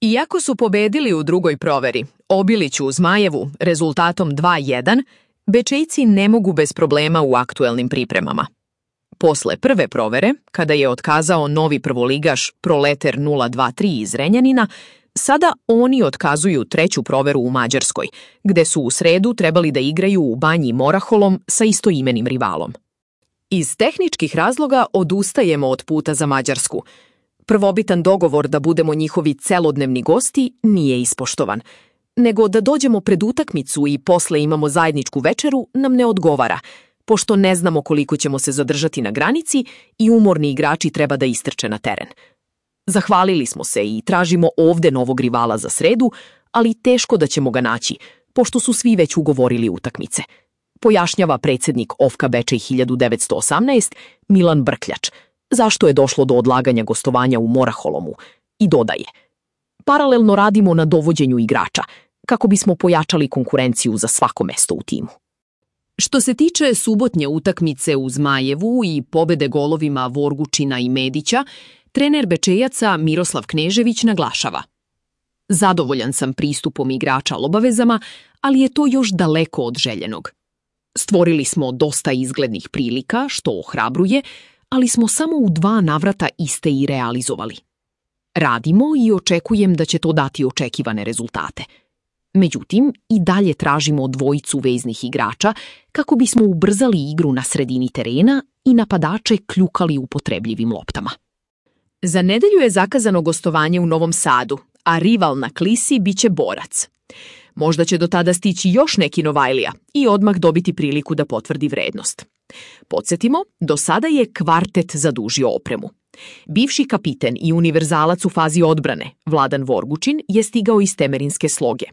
Iako su pobedili u drugoj proveri, Obiliću u Zmajevu rezultatom 2:1, Bečejci ne mogu bez problema u aktuelnim pripremama. Posle prve provere, kada je otkazao novi prvoligaš Proleter 023 iz Renjanina, sada oni otkazuju treću proveru u Mađarskoj, gde su u sredu trebali da igraju u Banji Moraholom sa istoimenim rivalom. Iz tehničkih razloga odustajemo od puta za Mađarsku. Prvobitan dogovor da budemo njihovi celodnevni gosti nije ispoštovan, nego da dođemo pred utakmicu i posle imamo zajedničku večeru nam ne odgovara, pošto ne znamo koliko ćemo se zadržati na granici i umorni igrači treba da istrče na teren. Zahvalili smo se i tražimo ovde novog rivala za sredu, ali teško da ćemo ga naći, pošto su svi već ugovorili utakmice, pojašnjava predsjednik OFK-a Bečej 1918 Milan Brkljač, zašto je došlo do odlaganja gostovanja u Moraholomu, i dodaje: paralelno radimo na dovođenju igrača, kako bismo pojačali konkurenciju za svako mesto u timu. Što se tiče subotnje utakmice u Zmajevu i pobede golovima Vorgučina i Medića, trener Bečejaca Miroslav Knežević naglašava: zadovoljan sam pristupom igrača obavezama, ali je to još daleko od željenog. Stvorili smo dosta izglednih prilika, što ohrabruje, ali smo samo u 2 navrata iste i realizovali. Radimo i očekujem da će to dati očekivane rezultate. Međutim, i dalje tražimo dvojicu veznih igrača kako bismo ubrzali igru na sredini terena i napadače kljukali upotrebljivim loptama. Za nedelju je zakazano gostovanje u Novom Sadu, a rival na klisi biće Borac. Možda će do tada stići još neki Novajlija i odmah dobiti priliku da potvrdi vrednost. Podsjetimo, do sada je kvartet zadužio opremu. Bivši kapiten i univerzalac u fazi odbrane, Vladan Vorgučin, je stigao iz Temerinske Sloge.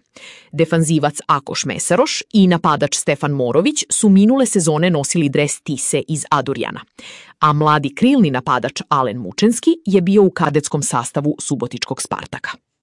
Defanzivac Akoš Mesaroš i napadač Stefan Morović su minule sezone nosili dres Tise iz Adurjana, a mladi krilni napadač Alen Mučenski je bio u kadetskom sastavu Subotičkog Spartaka.